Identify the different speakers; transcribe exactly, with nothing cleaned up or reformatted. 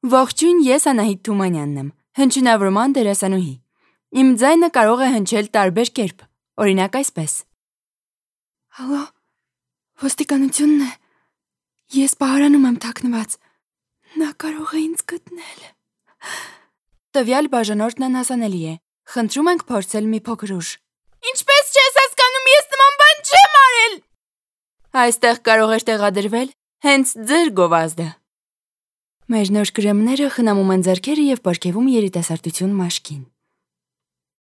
Speaker 1: Ողջույն, ես Անահիտ Թումանյանն եմ, հնչյունավորման դերասանուհի։ Իմ ձայնը կարող է հնչել տարբեր կերպ, օրինակ այսպես. Հալո, ոստիկանությունն է, ես պահարանում եմ թաքնված, նա կարող է ինձ գտնել։ Տվյալ բաժանորդն անհասանելի է, խնդրում ենք փորձել մի փոքր ուժ։ Ինչպես չես հասկանում, ես նման բան չեմ արել։ Այստեղ կարող էր տեղադրվել հենց ձեր գովազդը։ Մեր նոր կրեմները խնամում են ձեռքերը և պարգևում երիտասարդություն մաշկին։